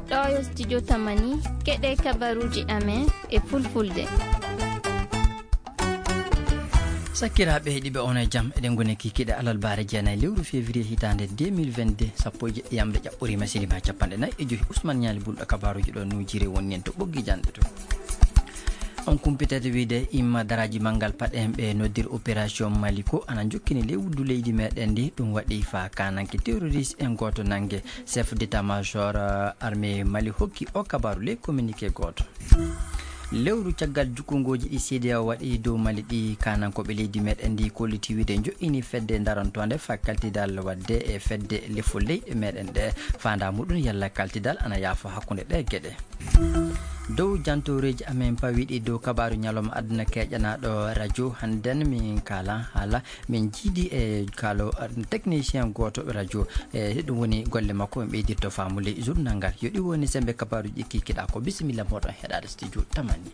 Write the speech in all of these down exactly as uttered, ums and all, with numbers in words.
Ɗo yo studio Tamani, keɗe kabaruuji amen e fulfulde. Sakkiraaɓe heɗiiɓe, on e jam. Eɗen ngoni kikiiɗe alarbaare jeenayi lewru février hitaande deux mille vingt-deux, sappo e jeɗɗi yamre ƴaɓɓoriima, silimaa capanɗe nayi e joyi. Ousmane Ñaali Bulɗo kabaaruuji ɗo nuujiri woni en to ɓoggi janɗe to. On kumpitete wiide imma daraaji manngal paɗe en ɓe noddir opération Maliko ana jokkini ley wuddu leydi meɗen ndi. Ɗum waɗi fa kananke terroriste en gooto nannge. Chef d'état-major, euh, armée Mali hokki o kabaaru ley communiqué gooto. Lewru caggal jukkungooji ɗi C D A O waɗi dow Mali ɗi, kanankooɓe leydi meɗen ndi kolliti wiide joɗɗini fedde darantoonde fa kaltidal waɗde e fedde lefol leyɗe meɗen ɗe. Faandaa muɗum yalla kaltidal ana yaafa hakkunde ɗe geɗe. Dow jantooreeji amen pawiiɗi dow kabaaru ñalawma aduna keƴanaaɗo radio, hannden min kaala haala, min jiidi e kaalo, eh, technicien gooto radio. E ɗum woni golle makko, en ɓeydirto faamu ley journal ngal. Yo ɗi woni sembe kabaaruuji ɗi kikiɗaa ko. Bisimilla mooɗon heɗaade studio Tamani.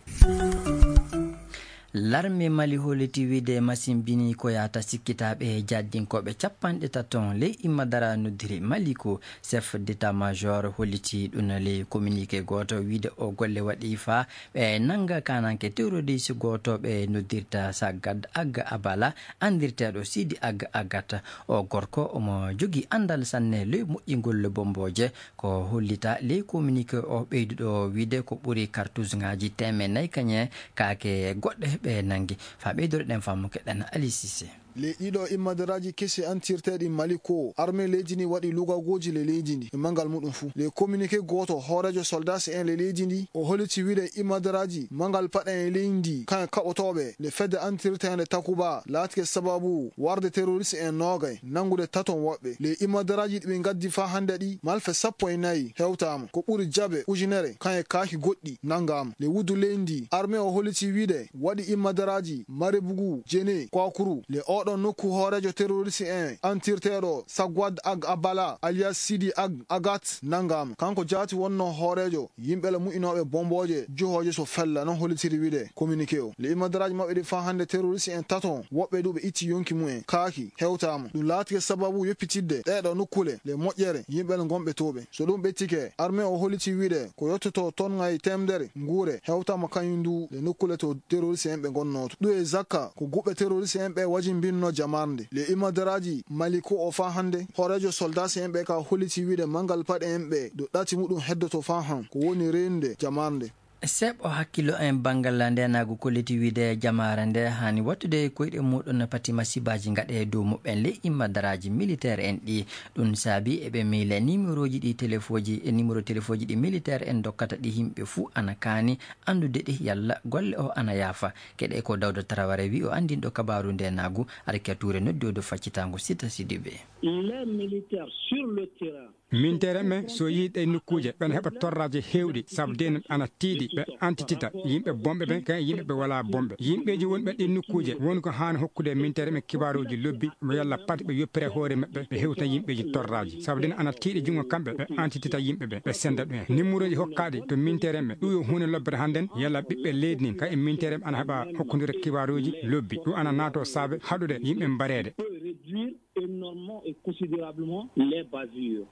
Larme Mali holliti wiide machine bini ko yahata sikkitaaɓe jaddinkooɓe capanɗe tato ley imma dara noddiri Mali ko. Chef d'état-major holliti ɗum ley communiqué gooto wiide o golle waɗi fa ɓe nannga kananke terroriste gooto ɓe noddirta Sagad Ag Abala, anndirteeɗo Sidi Ag Agat. O gorko omo jogii anndal sanne ley moƴƴingol bombooje. Ko hollita ley communiqué o ɓeyduɗo wiide ko ɓuri kartusŋaaji teemeɗɗe nayi kañe kaake goɗɗe ɓe nanngi. Fa ɓeydore ɗen faamu keɗen Ali Cissé. Ley ɗiɗo immadaraaji kesi antirteeɗi Mali ko, armée leydi ndi waɗi lugagooji ley leydi ndi e manngal muɗum fuu. Ley communiqué gooto, hooreejo soldaasi en ley leydi ndi, o holliti wiide immadaraaji manngal paɗe en leydi ndi, kañe kaɓotooɓe le fedde antirteende Takuba, laatike sababu warde terroriste en noogay, nanngude taton woɓɓe. Ley immadaraaji ɗi ɓe ngaddi faa hannde ɗi, malfe sappo e nayi hewtaama. Ko ɓuri jabe ujunere, kañe kaaki goɗɗi nanngaama. Ley wuddu leydi ndi, armée o holliti wiide waɗi immadaraaji Marebugu, Jene, Kwakuru. Le oɗon nokku hooreejo terroriste en antirteeɗo Sagwad Ag Abala alias Sidi Ag Agat nanngaama. Kanko jaati wonno hooreejo yimɓe le mu'inooɓe bombooje juhooje so fella, non hollitiri wiide communiqué o. Le immadaraaji maɓɓe ɗi faa hannde terroriste en tato, woɓɓe du ɓe itti yonki mumen. Kaaki hewtaama. Ɗum laatike sababu yoppitidde ɗeeɗo nokkule le moƴƴere yimɓe le ngonɓe tooɓe. So ɗum ɓettike, armée o holliti wiide ko yottoto ton ŋay teemedere nguure hewtaama kañum du le nokkule to terroriste en ɓe ngonnoo to. Ɗum e zakka ko guɓɓe terroriste en ɓe wajimbinno jamarnde. Le immadaraaji Mali ko o faa hannde, hooreejo soldaasi en ɓe ka holliti wiide manngal paɗe en ɓe ɗo ɗati muɗum heddoto faa han ko woni reenude jamarnde. Seeɓo hakkillo en banngal ndeenaagu kolliti wiide jamaare nde haani wattude koyɗe muɗum pati masibaaji ngaɗe dow muɓɓen ley immadaraaji militaire en ɗi. Ɗum saabi eɓe miile numéroji ɗi telefooji e numéro telefooji ɗi militaire en dokkata ɗi yimɓe fuu ana kaani anndude ɗi yalla golle o ana yaafa. Keɗe ko Dawda Taraware wi o anndinɗo kabaaru ndeenaagu, Arkiya Tuure noddi o dow faccitaango Sita Sidibe. Les militaires sur le terrain. Minteere men, so yii ɗe nokkuuje, ɓen heɓa torraaji heewɗi, sabu deen ana tiiɗi, ɓe antitita yimɓe bonɓe ɓen, kayen yimɓe ɓe walaa bonɓe. Yimɓeeji wonɓe ɗin nokkuuje, woni ko haani hokkude minteere men kibaaruuji lobbi, mo yalla pat ɓe yoppira hoore maɓɓe, ɓe hewta yimɓeeji torraaji. Sabu deen ana tiiɗi junngo kamɓe, ɓe antitita yimɓe ɓe, ɓe senda ɗumen. Nimmureeji hokkaaɗi to minteere men, ɗum yo huunde lobbere hannden, yalla ɓiɓɓe leydi ndin, kayen minteere men ana heɓa hokkude kibaaruuji lobbi. Ɗum ana naato saabe haɗude yimɓe mbareede. Peut réduire énormément et considérablement les bavures.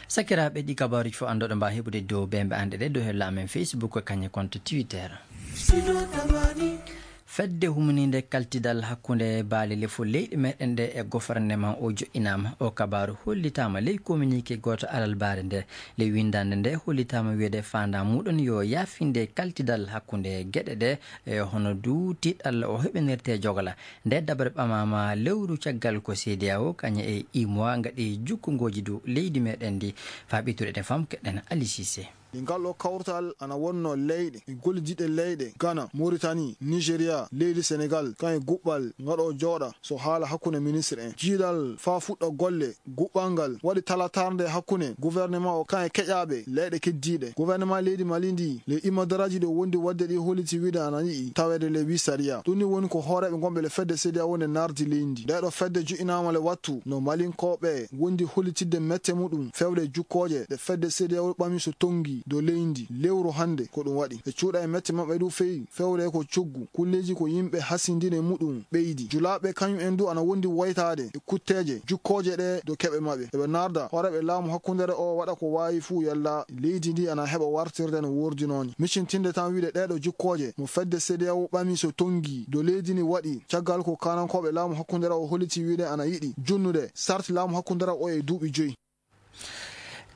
Sakiraaɓe, ɗi kabaaruuji fof anndoɗo mbaa heɓude dow bembe anɗe ɗe dow hella amen Facebook kañe compte Twitter. Fedde humininde kaltidal hakkunde baale lefol leyɗe meɗen ɗe e goforneman o joɗɗinaama. O kabaaru hollitaama ley communiqué gooto alarbaare nde. Ley winndannde nde hollitaama wiyeede faandaa muɗum yo yaafinde kaltidal hakkunde geɗe ɗe, e hono du tiiɗalla o heɓinirte jogla. Nde daɓere ɓamaama lewru caggal ko C D A O kañe e U M O A ngaɗi jukkungooji dow leydi meɗen ndi. Faa ɓeytude ɗe fam keɗen Ali Cissé. E ngal ɗo kawtal ana wonno leyɗe e gollidiɗɗe leyɗe Ghana, Mauritanie, Nigeria, leydi Senegal, kañe guɓɓal ngaɗo jooɗa so haala hakkunde ministre en. Jiiɗal faa fuɗɗa golle guɓɓal ngal waɗi talatarnde hakkunde gouvernement o kañe keƴaaɓe leyɗe keddiiɗe. Gouvernement leydi Mali ndi, le imadaraaji ɗo wondi waɗde ɗi holliti wiide ana yiɗi taweede le wi sariya. Ɗum ni woni ko hooreeɓe ngonɓe le fedde C D A O nde nardi leydi ndi. Nde ɗo fedde joɗɗinaama le wattu no Malinkooɓe wondi hollitidde mette muɗum fewde jukkooje ɗe fedde C D A O ɓami so tonngi dow leydi lewru hannde ko ɗum waɗi. Ɓe cuuɗa e mette maɓɓe du feewi, fewre ko coggu, kulleeji ko yimɓe hasindini e muɗum ɓeydi. Julaaɓe kañum en du ana wondi woytaade e kutteeje, jukkooje ɗe dow keɓe maɓɓe. Eɓe narda hooreeɓe laamu hakkundeere o waɗa ko waawi fuu yalla leydi ndi ana heɓa wartirde no woordinoo ni. Miccintinde tan wiide ɗee ɗoo jukkooje mo fedde C D A O ɓami so tonngi dow leydi ndi waɗi, caggal ko kaanankooɓe laamu hakkundeere o holliti wiide ana yiɗi junnude sarti laamu hakkundeere o e duuɓi joyi.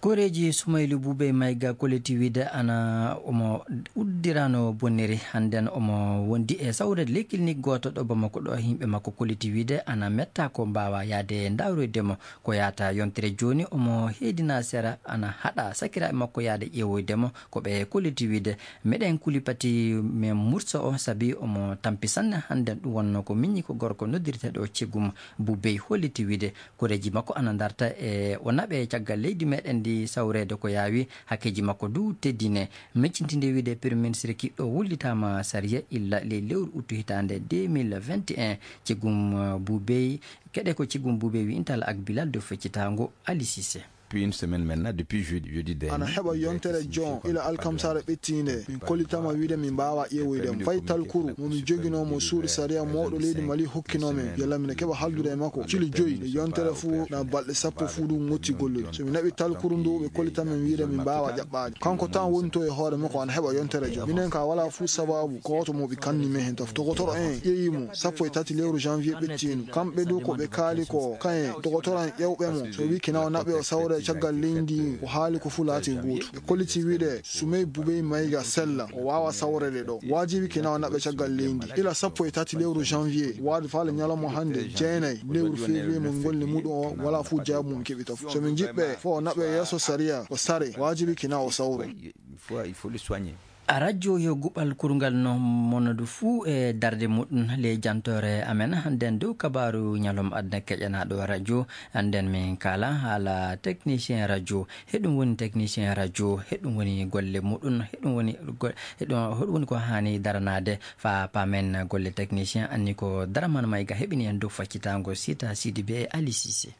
Koreeji Sumaylu Bubey Mayga kolliti wiide ana omo uddirano bonniri. Hannden omo wondi e sawreede ley clinique gooto ɗo Bamako ɗo, yimɓe makko kolliti wiide ana metta ko mbaawa yaade ndaaroyde mo. Ko yaata yontere jooni omo heedina sera ana haɗa sakiraaɓe makko yaade ƴeewoyde mo. Ko ɓe kolliti wiide meɗen kuli pati men mursa o sabi omo tampi sanne. Hannden ɗum wonno ko miñi ko gorko noddirteeɗo Cegum Bubey holliti wiide koreeji makko ana ndarta e o naɓe caggal leydi meɗen ndi sawreede ko yaawi. Hakkeeji makko du teddine. Miccintinde wiide Premier Ministre kiɗɗo wullitaama sariya illa ley lewru uttu hitaande deux mille vingt et un. Cegum, uh, Bubey, keɗe ko Cegum Bubey wi'intal ak Bilal dow feccitaango Ali Cissé. Depuis une semaine maintenant, depuis jeudi, jeudi dernier, ana heɓa yontere jon ila alkamsaare ɓettiinde. Min kollitama wiide min mbaawa ƴeewoyde mo. Fay talkuru mo min joginoo mo suudu sariya mawɗo leydi Mali hokkinoo men, yalla min keɓa haldude e makko cili joyi e yontere fuu na balɗe sappo fuu du ŋotti gollude. So min naɓi talkuru ndu, ɓe kollita men wiide min mbaawa ƴaɓɓaade. Kanko tan woni to e hoore makko ana heɓa yontere jon. Minen ka wala fuu sababu gooto mo ɓe kanni men hen tafo. Dogotoro en ƴeewi mo sappo e tati lewru janvier ɓettiindu. Kamɓe du ko ɓe kaali ko kayen dogotoro en ƴewɓe mo. So wi kina o naɓe o sawre caggal leydi, ko haali ko fuu laati gootu. Ɓe kolliti wiide Sumey Bubey Mayga sella, o waawa sawrede ɗo. Waajibi kina o naɓe caggal leydi. Ila sappo e tati lewru janvier, waade faale ñalawma hannde, jeenay lewru février mo ngolli muɗum o, wala fuu jaabu mo keɓi tafo. So min jiɓɓe fo o naɓe yeeso sariya, o sare, waajibi kina o sawro. Il faut, il faut le soigner. A radio yo guɓal kurungal no monadu fuu e darde muɗum ley jantoore amen hannden dow kabaaru ñalawma aduna keƴanaaɗo radio. Hannden min kaala haala technicien radio. Heɗum woni technicien radio, heɗum woni golle muɗum, heɗum woni go-, heɗum, heɗum woni ko haani daranaade faa paamen golle technicien anni ko Daraman Mayga heɓini en dow faccitaango Sita Sidibe e Ali Cissé.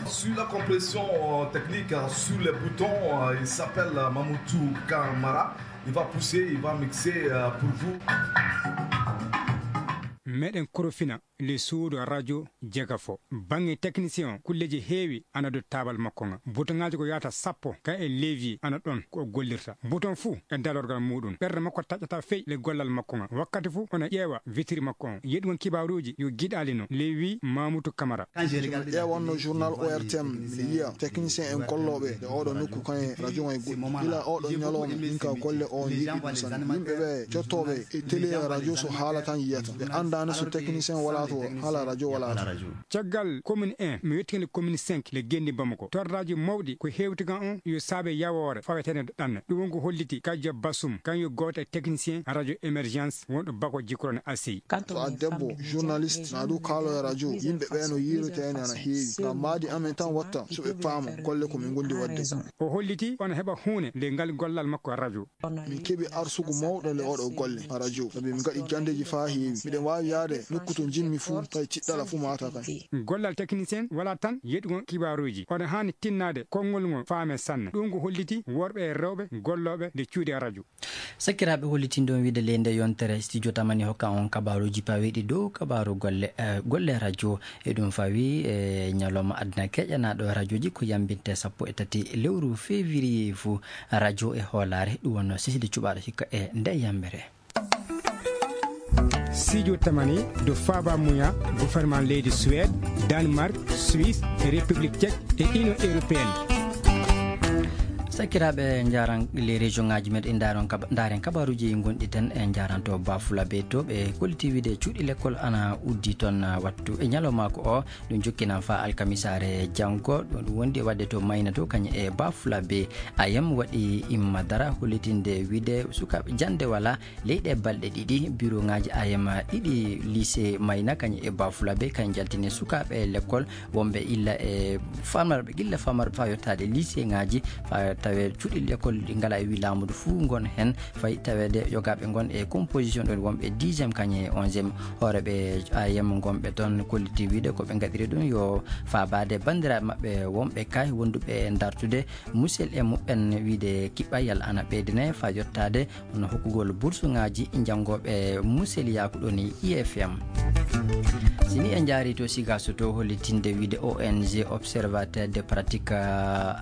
Sur la compression, euh, technique, euh, sur les boutons, euh, il s'appelle, euh, Mamoutou Kamara. Il va pousser, il va mixer, euh, pour vous. Meɗen korofina le suudu radio jegafo. Baŋŋe technicien o, kulleeji heewi ana dow taabal makko ŋa. Bouton ŋaaji ko yaata sappo, ka e levier ana ɗon ko o gollirta. Bouton fuu e dalorgal muɗum. Ɓernde makko taƴata fey le gollal makko ŋa. Wakkati fuu ona ƴeewa vitre makko on. Yeɗugol kibaaruuji yo giɗaali no. Le wi Mamutu Kamara. So mi ƴeewanno journal O R T M, mi yiya technicien en gollooɓe e oɗo nokku kan e radio ŋa e goɗɗi. Gila oɗo ñalawma, min ka golle o yiɗi ɗum sanne. Yimɓe ɓe jottooɓe e télé e radio so haala tan yiyata. Ɓe anndaani so technicien walaa to, haala radio walaa to. Caggal commune un, mi yettii le commune cinq, le Genndi Bamako. Torraaji mawɗi ko hewtigan on yo saabe yawoore faweteende ɗanne. Ɗum won ko holliti Kaja Basum, kan yo gooto e technicien radio émergence wonɗo Bako Jikrone Assi. So a debbo, journaliste, na du kaalo e radio, yimɓe ɓe no yiiroyta en ana heewi. Ngam maadi amen tan watta so ɓe paama golle ko min gondi waɗde. O holliti ona heɓa huune nde ngal gollal makko radio. Min keɓi arsugu mawɗo le oɗo golle a radio, sabi min gaɗi jandeji faa heewi. Miɗen waawi yaade nokku to njimmi fuu, tawi tiɗɗala fuu maata kan. Gollal technicien wala tan yeɗugol kibaaruuji. Oɗon haani tinnaade konngol ngol faame sanne. Ɗum ko holliti worɓe e rewɓe gollooɓe nde cuuɗi radio. Sakiraaɓe, hollitinɗon wiide ley nde yontere studio tamani hokka on kabaaruuji paweeɗi dow kabaaru golle, eh, golle radio. E ɗum fawi e ñalawma aduna keƴanaaɗo radioji ko yambinte sappo e tati lewru février fuu. Radio e hoolaare, ɗum wonno seside cuɓaaɗo hikka e nde yambere. Sijo tamani do faaba muya gouvernement leydi Suède, Danemark, Suisse, République Tchèque e Union Européenne. Sakiraaɓe, njaran les région ngaji meɗen, ndaron kaba-, ndaren kabaruji gonɗi ten, en njaranto Bafulabe to ɓe kolliti wiide cuuɗi lekkol ana uddi ton, ah, wattu e ñalawmaaku o. Ɗum jokkinan faa alkamisaare janngo. Ɗum, ɗum wondi e waɗde to Mayna to, kañum e Bafulabe. A M waɗi imma dara hollitinde wiide sukaaɓe jannde wala leyɗe balɗe ɗiɗi. Bureau ŋaaji A M ɗiɗi lycée Mayna kañum e Bafulabe kañum jaltini sukaaɓe lekkol wonɓe illa e famarɓe, gilla famarɓe faa yottaade lycée ŋaaji faa Tawe cuɗi l'école ɗi ngala e wi laamudu fuu ngon heen, fayi taweede yogaaɓe ngon e composition ɗon wonɓe dixième kañe e onzième. Hooreeɓe A M ngonɓe toon kolliti wiide ko ɓe ngaɗiri ɗum yo faabaade banndiraaɓe maɓɓe wonɓe kay wonduɓe dartude musel e muɓɓen wiide kiɓɓayal ana ɓeydine faa yottaade hono hokkugol bursuŋaaji janngooɓe museliyaaku ɗon e I F M. Si ni en njaari to Sigaso to hollitinde wiide O N G Observateur de Pratique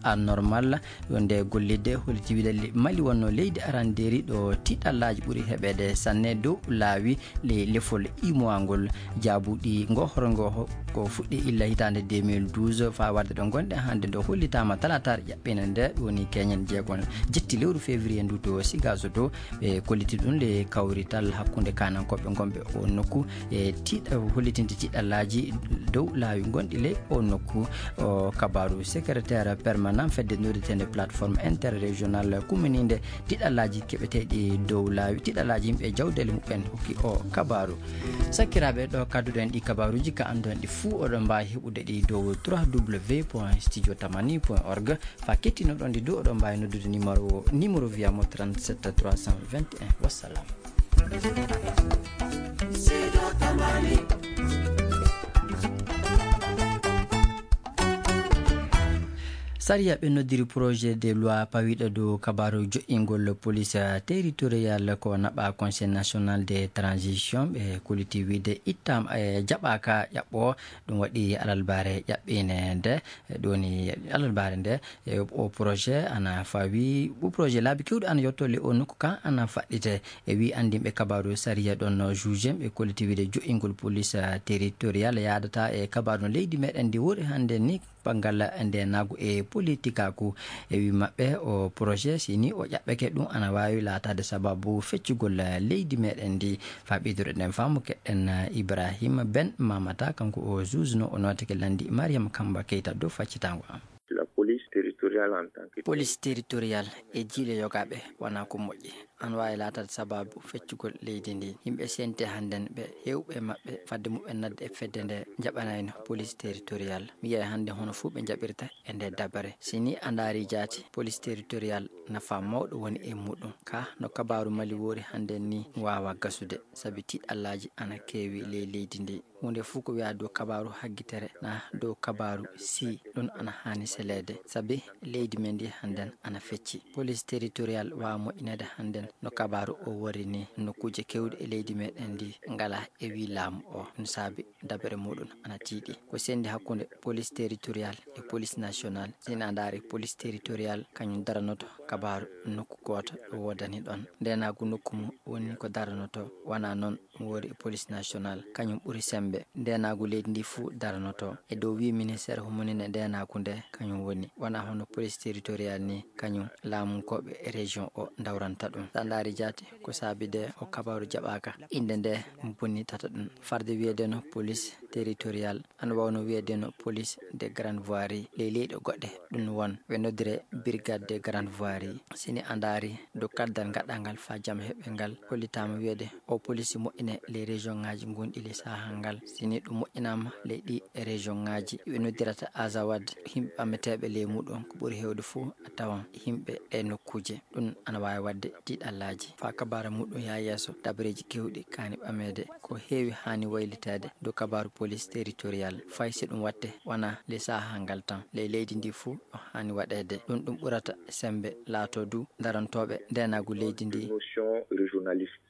Anormal, yo nde gollidde holliti wiide Mali wonno leydi arandeeri ɗo tiɗallaaji ɓuri heɓeede sanne dow laawi ley lefol imowa ngol. Jaabuɗi ngo horo ngo ko fuɗɗi illa hitaande deux mille douze faa warde ɗo ngonɗen hannde ɗo hollitaama talaataare ƴaɓɓiinde nde woni keñen jeegon jetti lewru février ndu to Sigaso to. Ɓe kolliti ɗum le kawrital hakkunde kaanankooɓe ngonɓe o nokku e tiiɗa hollitinde tiiɗallaaji dow laawi ngonɗi ley o nokku. O kabaaru secrétaire permanent fedde noddeteende plateforme interrégionale kummininde tiiɗallaaji keɓeteeɗi dow laawi tiiɗallaaji yimɓe jawdeele muɓɓen hokki o kabaaru. Sakkiraaɓe ɗo kadduɗen ɗi kabaaruuji ka annduɗen ɗi fuu oɗon mbaawi heɓude ɗi dow trois w point studio tamani point org. Fa kettinoɗon ɗi dow oɗon mbaawi noddude numéro numéro via mo trente-sept trois cent vingt et un. Wassalam. Sariya ɓe noddiri projet de loi pawiɗo dow kabaru joƴƴingol police territorial ko naɓa Conseil national de transition ɓe koliti wiide ittam e jaɓaka ƴaɓɓo. Ɗum waɗi alalbare ƴaɓɓine nde ɗoni alalbare nde. E o projet ana fawi o projet laabi kewɗi ana yotto le o nokku kan ana faɗɗite. E wi andinɓe kabaru sariya ɗon juge ɓe kolliti wiide jo'ingol police territorial yaadata e kabaru no leydi meɗen ndi wori hannde ni banngal ndenagu e politikaku. E wi maɓɓe o projet sini o ƴaɓɓeke ɗum ana wawi laatade sababu feccugol leydi meɗen ndi. Fa ɓeyduɗo ɗen faamu keɗen ibrahima ben mamata kanko o juge no o notake landi mariam kamba keyta dow faccitango am. La police territoriale en tant que police territoriale e jiile yogaɓe wona ko moƴƴi. An wawi laatade sababu feccugol leydi ndi yimɓe sente hannden ɓe hewɓe maɓɓe fadde muɓɓen nadde e fedde nde jaɓanayno police territoriale mi yiyay hannde hono fof ɓe jaɓirta e nde dabare. Si ni a ndaari jaati police territoriale nafa mawɗo woni e muɗum ka no kabaru mali woori hannden ni waawa gasude sabi tiɗallaaji ana keewi ley leydi ndi. Huunde fuu ko wiyaa dow kabaaru haggitere na dow kabaaru sii ɗum ana haani seleede sabi leydi men ndi hannden ana fecci. Police territoriale waawa moƴƴineede hannden no kabaaru o worri ni nokkuuje kewɗe e leydi meɗen ndi ngalaa e wii laamu o ɗum saabi dabere muɗum ana tiiɗi. Ko senndi hakkunde police territoriale e police nationale. Si en a ndaari police territoriale kañum daranoto kabaaru nokku gooto ɗo woodani ɗon ndenaagu nokku mum woni ko daranoto. Wonaa noon mo woori e police nationale kañum ɓuri semmbe ndenaagu leydi ndi fuu daranoto e dow wii ministeer humunine ndenaagu nde kañum woni wonaa hono police territoriale ni kañum laamunkooɓe e région o ndawranta ɗum. Sa ndaari jaati ko saabi de o kabaaru jaɓaaka innde nde bonnitata ɗum farde wiyeede no police territoriale. Ana wawno wiyeede no police de grande voirie ley leyɗe goɗɗe ɗum won ɓe noddire brigade de grande voirie. Sini a ndaari dow kaddal gaɗɗal ngal fa jam heɓe ngal hollitaama wiyeede o police moƴƴine ley région ngaji gonɗi ley saha ngal sini ɗum moƴƴinaama ley ɗi région ngaji ɓe noddirata azawad. Yimɓe ɓammeteeɓe ley muɗum ko ɓuri heewde fof a tawan yimɓe ɗe nokkuuje. Ɗum ana waawi waɗde tiiɗallaaji faa kabaara muɗum yaa yeeso dabareeji keewɗi kaani ɓameede ko heewi haani wayliteede dow kabaaru police territoriale. Fay si ɗum waɗte wonaa ley sahaa ngal tan ley leydi ndi fuu ɗo haani waɗeede. Ɗum ɗum ɓurata semmbe laatoo du darantooɓe ndeenaagu leydi ndi. Notion régionaliste.